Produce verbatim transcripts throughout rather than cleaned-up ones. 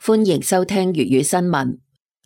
歡迎收聽粵語新聞。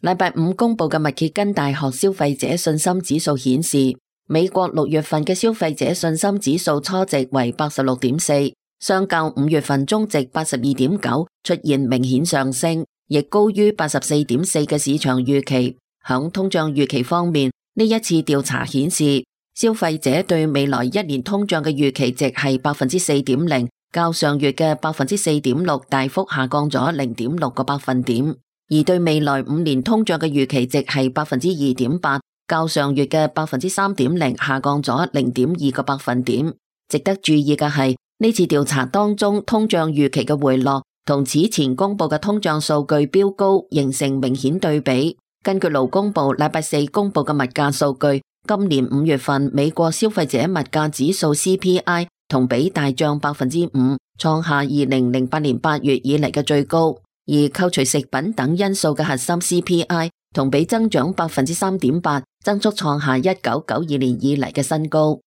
禮拜五公布嘅密歇根大學消費者信心指數顯示，美國六月份嘅消費者信心指數初值為八十六點四，相較五月份中值八十二點九出現明顯上升，亦高於八十四點四嘅市場預期。響通脹預期方面，呢一次調查顯示，消費者對未來一年通脹嘅預期值係百分之四點零。較上月嘅百分之四點六大幅下降咗零點六個百分點，而對未來五年通脹嘅預期值係百分之二點八，較上月嘅百分之三點零下降咗零點二個百分點。值得注意嘅係，呢次調查當中通脹預期嘅回落同此前公布嘅通脹數據飆高形成明顯對比。根據勞工部禮拜四公布嘅物價數據，今年五月份美國消費者物價指數 C P I同比大漲百分之五，創下二零零八年八月以嚟嘅最高。而扣除食品等因素嘅核心 C P I 同比增長百分之三點八，增速創下一九九二年以嚟嘅新高。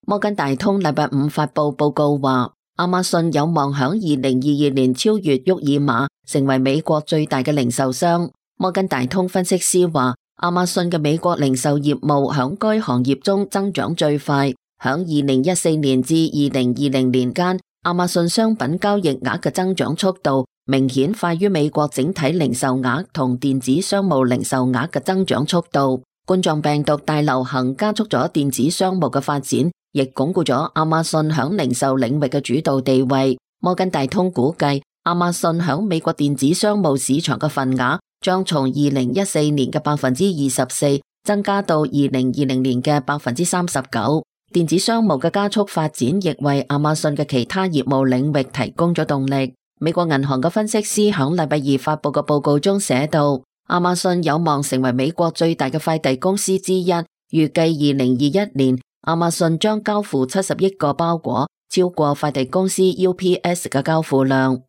摩根大通禮拜五發佈報告話，亞馬遜有望響二零二二年超越沃爾瑪，成為美國最大嘅零售商。摩根大通分析師話，亞馬遜嘅美國零售業務響該行業中增長最快。響二零一四年至二零二零年間，亞馬遜商品交易額嘅增長速度明顯快於美國整體零售額同電子商務零售額嘅增長速度。冠狀病毒大流行加速咗電子商務嘅發展，亦鞏固咗亞馬遜響零售領域嘅主導地位。摩根大通估計，亞馬遜響美國電子商務市場嘅份額將從二零一四年嘅百分之二十四增加到二零二零年嘅百分之三十九。電子商務嘅加速發展亦為亞馬遜嘅其他業務領域提供咗動力。美國銀行嘅分析師響禮拜二發佈嘅報告中寫道，亞馬遜有望成為美國最大嘅快遞公司之一，預計二零二一年亞馬遜將交付七十億個包裹，超過快遞公司 U P S 嘅交付量。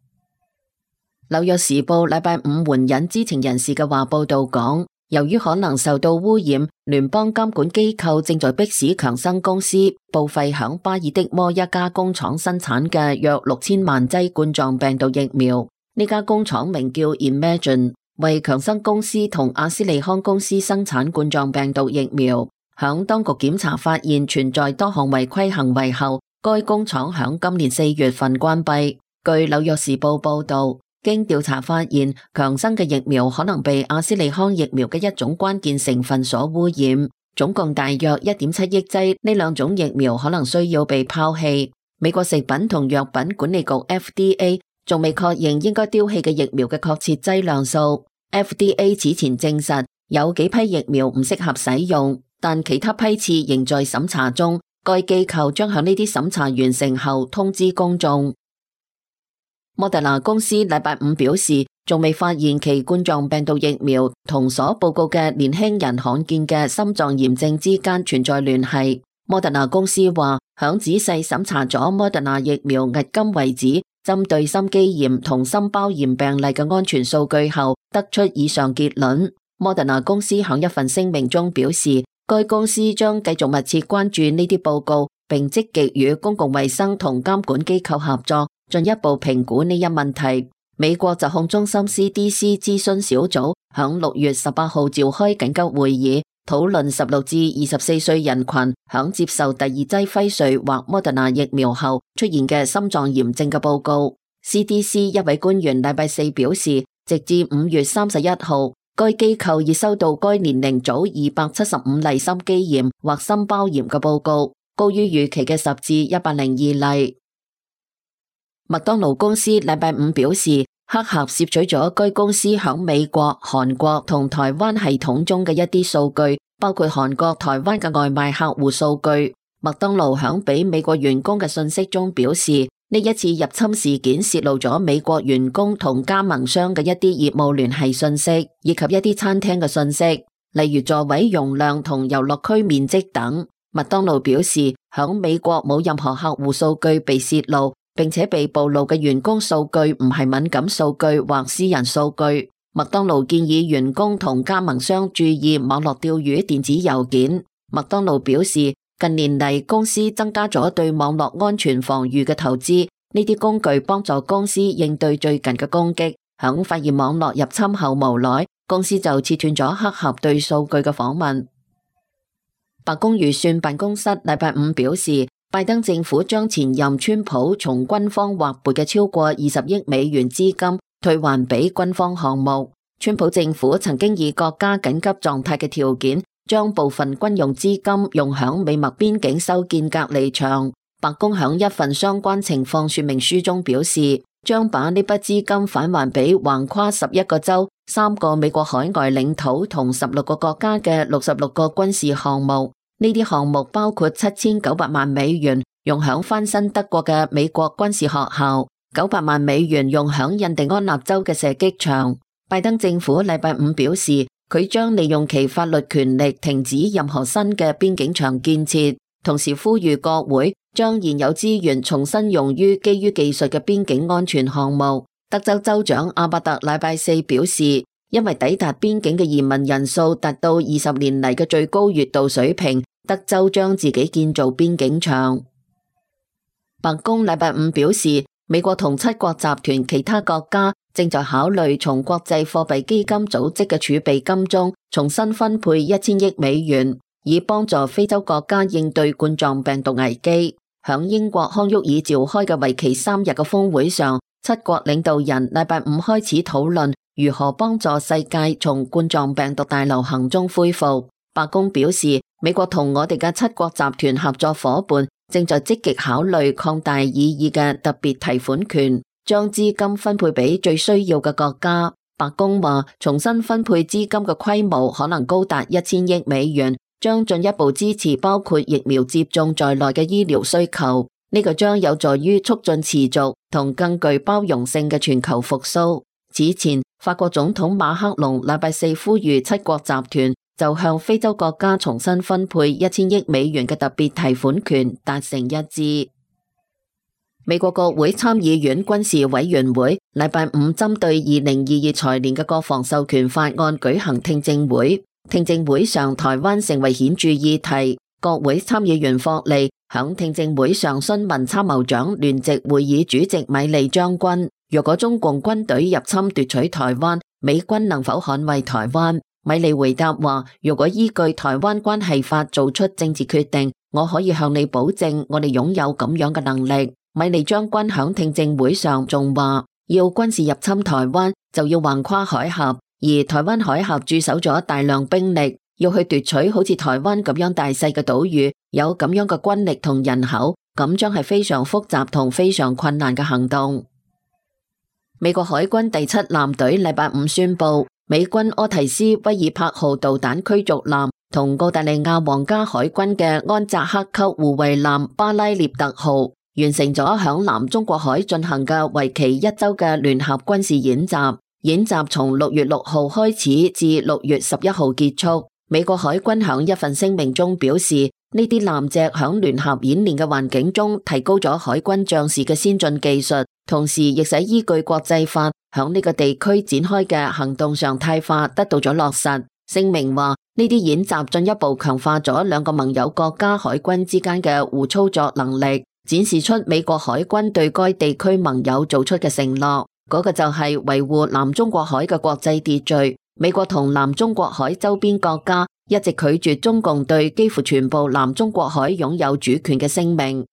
紐約時報禮拜五援引知情人士嘅話報道講，由於可能受到污染，聯邦監管機構正在迫使強生公司報廢響巴爾的摩一家工廠生產嘅約六千萬劑冠狀病毒疫苗。呢家工廠名叫 Imagine， 為強生公司同阿斯利康公司生產冠狀病毒疫苗。響當局檢查發現存在多項違規行為後，該工廠響今年四月份關閉。據紐約時報報道，經調查發現，強生嘅疫苗可能被阿斯利康疫苗嘅一種關鍵成分所污染，總共大約一點七億劑。呢兩種疫苗可能需要被拋棄。美國食品同藥品管理局 F D A 仲未確認應該丟棄嘅疫苗嘅確切劑量數。F D A 此前證實有幾批疫苗唔適合使用，但其他批次仍在審查中。該機構將響呢啲審查完成後通知公眾。莫德納公司禮拜五表示，仲未發現其冠狀病毒疫苗同所報告嘅年輕人罕見嘅心臟炎症之間存在聯繫。莫德納公司話，響仔細審查咗莫德納疫苗迄今為止針對心肌炎同心包炎病例嘅安全數據後，得出以上結論。莫德納公司響一份聲明中表示，該公司將繼續密切關注呢啲報告，並積極與公共衛生同監管機構合作，進一步評估呢一問題。美國疾控中心 C D C 諮詢小組響六月十八號召開緊急會議，討論十六至二十四歲人群響接受第二劑輝瑞或莫德納疫苗後出現嘅心臟炎症嘅報告。C D C 一位官員禮拜四表示，直至五月三十一號，該機構已收到該年齡組二百七十五例心肌炎或心包炎嘅報告，高於預期嘅十至一百零二例。麥當勞公司禮拜五表示，黑客竊取咗該公司響美國、韓國同台灣系統中嘅一啲數據，包括韓國、台灣嘅外賣客戶數據。麥當勞響俾美國員工嘅信息中表示，呢一次入侵事件洩露咗美國員工同加盟商嘅一啲業務聯繫信息，以及一啲餐廳嘅信息，例如座位容量同遊樂區面積等。麥當勞表示，響美國冇任何客戶數據被洩露，並且被暴露嘅員工數據唔係敏感數據或私人數據。麥當勞建議員工同加盟商注意網絡釣魚電子郵件。麥當勞表示，近年嚟公司增加咗對網絡安全防禦嘅投資，呢啲工具幫助公司應對最近嘅攻擊。響發現網絡入侵後無奈，公司就切斷咗黑客對數據嘅訪問。白宮預算辦公室禮拜五表示，拜登政府將前任川普從軍方劃撥嘅超過二十億美元資金退還俾軍方項目。川普政府曾經以國家緊急狀態嘅條件，將部分軍用資金用響美墨邊境修建隔離牆。白宮響一份相關情況說明書中表示，將把呢筆資金返還俾橫跨十一個州、三個美國海外領土同十六個國家嘅六十六個軍事項目。呢啲項目包括七千九百萬美元用響翻新德國嘅美國軍事學校，九百萬美元用響印第安納州嘅射擊場。拜登政府禮拜五表示，佢將利用其法律權力停止任何新嘅邊境牆建設，同時呼籲國會將現有資源重新用於基於技術嘅邊境安全項目。德州州長阿伯特禮拜四表示，因為抵達邊境嘅移民人數達到二十年嚟嘅最高月度水平，德州將自己建造邊境牆。白宮禮拜五表示，美國同七國集團其他國家正在考慮從國際貨幣基金組織嘅儲備金中重新分配一千億美元，以幫助非洲國家應對冠狀病毒危機。響英國康沃爾召開嘅為期三日嘅峰會上，七國領導人禮拜五開始討論如何幫助世界從冠狀病毒大流行中恢復。白宮表示，美國同我哋嘅七國集團合作夥伴正在積極考慮擴大擬議嘅特別提款權，將資金分配俾最需要嘅國家。白宮話，重新分配資金嘅規模可能高達一千億美元，將進一步支持包括疫苗接種在內嘅醫療需求。呢個將有助於促進持續同更具包容性嘅全球復甦。此前，法國總統馬克龍禮拜四呼籲七國集團就向非洲國家重新分配一千億美元嘅特別提款權達成一致。美國國會參議院軍事委員會禮拜五針對二零二二財年嘅國防授權法案舉行聽證會，聽證會上台灣成為顯著議題。國會參議員霍利響聽證會上詢問參謀長聯席會議主席米利將軍，若果中共軍隊入侵奪取台灣，美軍能否捍衛台灣？米利回答話，如果依據台灣關係法做出政治決定，我可以向你保證，我哋擁有咁樣嘅能力。米利將軍響聽證會上仲話，要軍事入侵台灣就要橫跨海峽，而台灣海峽駐守咗大量兵力，要去奪取好似台灣咁樣大細嘅島嶼，有咁樣嘅軍力同人口，咁將係非常複雜同非常困難嘅行動。美國海軍第七艦隊禮拜五宣布，美軍柯提斯威爾柏號導彈驅逐艦同澳大利亞皇家海軍嘅安扎克級護衛艦巴拉涅特號完成咗響南中國海進行嘅為期一周嘅聯合軍事演習。演習從六月六號開始至六月十一號結束。美國海軍響一份聲明中表示，呢啲艦隻響聯合演練嘅環境中提高咗海軍將士嘅先進技術，同時亦使依據國際法響呢個地區展開嘅行動常態化得到咗落實。聲明話，呢啲演習進一步強化咗兩個盟友國家海軍之間嘅互操作能力，展示出美國海軍對該地區盟友做出嘅承諾，嗰個就係維護南中國海嘅國際秩序。美國同南中國海周邊國家一直拒絕中共對幾乎全部南中國海擁有主權嘅聲明。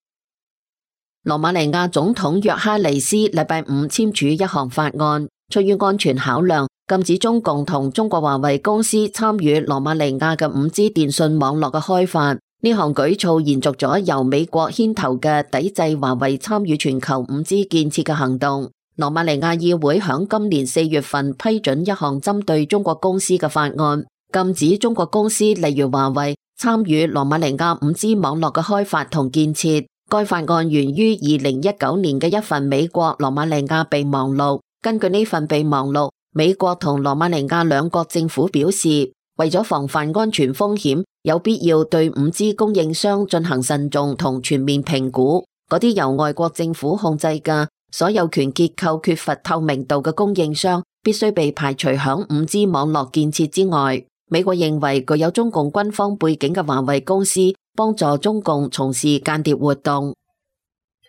羅馬尼亞總統約哈尼斯禮拜五簽署一項法案，出於安全考量，禁止中共同中國華為公司參與羅馬尼亞嘅五 G 電信網絡嘅開發。呢項舉措延續咗由美國牽頭嘅抵制華為參與全球五 G 建設嘅行動。羅馬尼亞議會響今年四月份批准一項針對中國公司嘅法案，禁止中國公司例如華為參與羅馬尼亞五 G 網絡嘅開發同建設。該法案源於二零一九年嘅一份美國羅馬尼亞備忘錄。根據呢份備忘錄，美國同羅馬尼亞兩國政府表示，為咗防範安全風險，有必要對五 G 供應商進行慎重同全面評估。嗰啲由外國政府控制嘅所有權結構缺乏透明度嘅供應商，必須被排除響五 G 網絡建設之外。美國認為具有中共軍方背景嘅華為公司幫助中共從事間諜活動。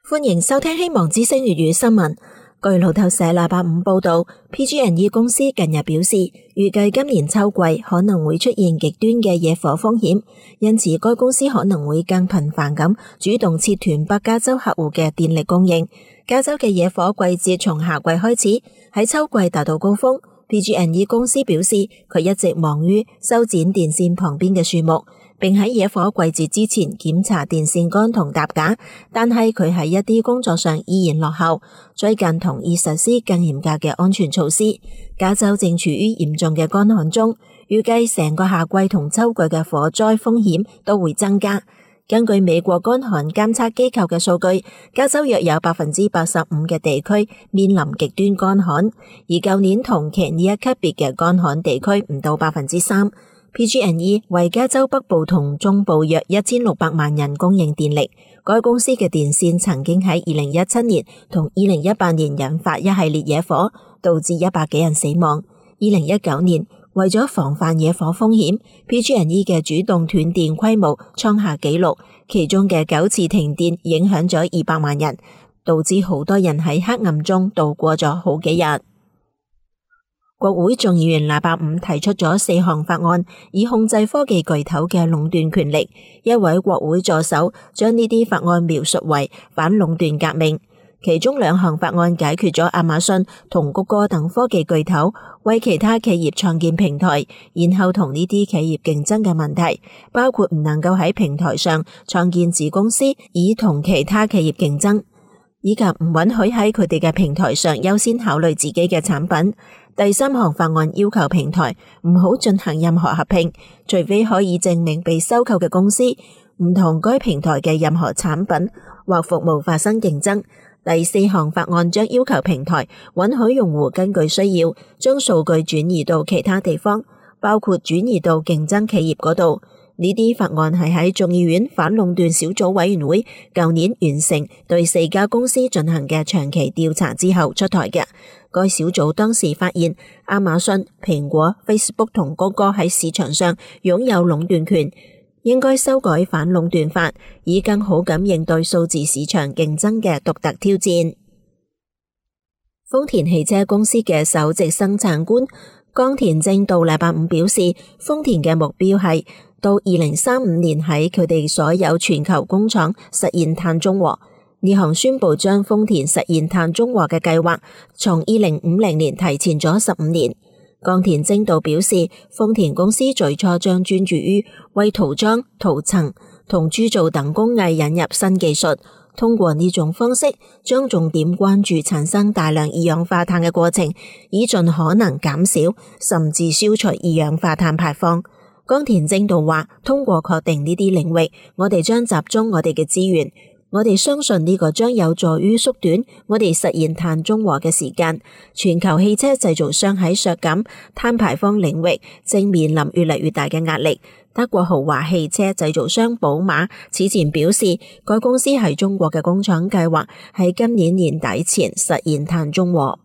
歡迎收聽希望之聲粵語新聞。據路透社禮拜五報道 ，P G and E 公司近日表示，預計今年秋季可能會出現極端嘅野火風險，因此該公司可能會更頻繁咁主動切斷北加州客戶嘅電力供應。加州嘅野火季節從夏季開始，喺秋季達到高峰。P G and E 公司表示，佢一直忙於修剪電線旁邊嘅樹木，並喺野火季節之前檢查電線桿同搭架，但係佢喺一啲工作上依然落後。最近同意實施更嚴格嘅安全措施。加州正處於嚴重嘅乾旱中，預計成個夏季同秋季嘅火災風險都會增加。根據美國乾旱監測機構嘅數據，加州約有百分之八十五嘅地區面臨極端乾旱，而舊年同期呢一級別嘅乾旱地區唔到百分之三。P G and E 為加州北部同中部約一千六百萬人供應電力。該公司嘅電線曾經喺二零一七年同二零一八年引發一系列野火，導致一百幾人死亡。二零一九年，為咗防範野火風險 ，P G and E 嘅主動斷電規模創下紀錄，其中嘅九次停電影響咗二百萬人，導致好多人喺黑暗中度過咗好幾日。國會眾議員禮拜五提出咗四項法案，以控制科技巨頭嘅壟斷權力。一位國會助手將呢啲法案描述為反壟斷革命。其中兩項法案解決咗亞馬遜同谷歌等科技巨頭為其他企業創建平台，然後同呢啲企業競爭嘅問題，包括唔能夠喺平台上創建子公司以同其他企業競爭，以及唔允許喺佢哋嘅平台上優先考慮自己嘅產品。第三項法案要求平台唔好進行任何合併，除非可以證明被收購嘅公司唔同該平台嘅任何產品或服務發生競爭。第四項法案將要求平台允許用戶根據需要將數據轉移到其他地方，包括轉移到競爭企業嗰度。呢啲法案係喺眾議院反壟斷小組委員會舊年完成對四家公司進行嘅長期調查之後出台嘅。該小組當時發現亞馬遜、蘋果、Facebook 同谷歌喺市場上擁有壟斷權，應該修改反壟斷法，以更好咁應對數字市場競爭嘅獨特挑戰。豐田汽車公司嘅首席生產官岡田正道禮拜五表示，豐田嘅目標係到二零三五年喺佢哋所有全球工廠實現碳中和。呢項宣布將豐田實現碳中和嘅計劃從二零五零年提前咗十五年。岡田正道表示，豐田公司最初將專注於為塗裝、塗層同鑄造等工藝引入新技術，通過呢種方式將重點關注產生大量二氧化碳嘅過程，以盡可能減少甚至消除二氧化碳排放。岡田正道話，通過確定呢啲領域，我哋將集中我哋嘅資源。我哋相信呢個將有助於縮短我哋實現碳中和嘅時間。全球汽車製造商喺削減碳排放領域正面臨越嚟越大嘅壓力。德國豪華汽車製造商寶馬此前表示，該公司喺中國嘅工廠計劃喺今年年底前實現碳中和。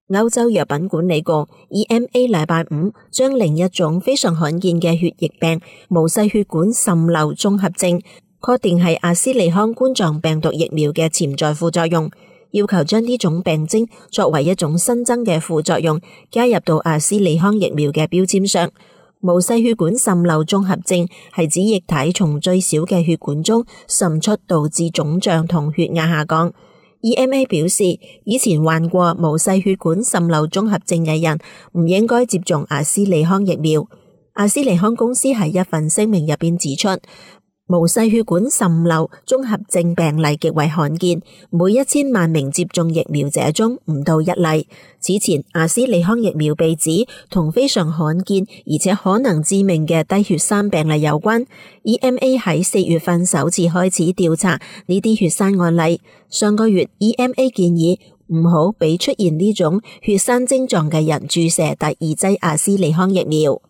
歐洲藥品管理局 E M A 禮拜五將另一種非常罕見嘅血液病毛細血管滲漏綜合症確定係阿斯利康冠狀病毒疫苗嘅潛在副作用，要求將呢種病徵作為一種新增嘅副作用加入到阿斯利康疫苗嘅標籤上。毛細血管滲漏綜合症係指液體從最小嘅血管中滲出，導致腫脹同血壓下降。E M A 表示，以前患過毛細血管滲漏綜合症嘅人唔應該接種阿斯利康疫苗。阿斯利康公司喺一份聲明入邊指出，毛細血管滲漏綜合症病例極為罕見，每一千萬名接種疫苗者中唔到一例。此前，阿斯利康疫苗被指同非常罕見而且可能致命嘅低血栓病例有關。E M A 喺四月份首次開始調查呢啲血栓案例。上個月 E M A 建議唔好俾出現呢種血栓症狀嘅人注射第二劑阿斯利康疫苗。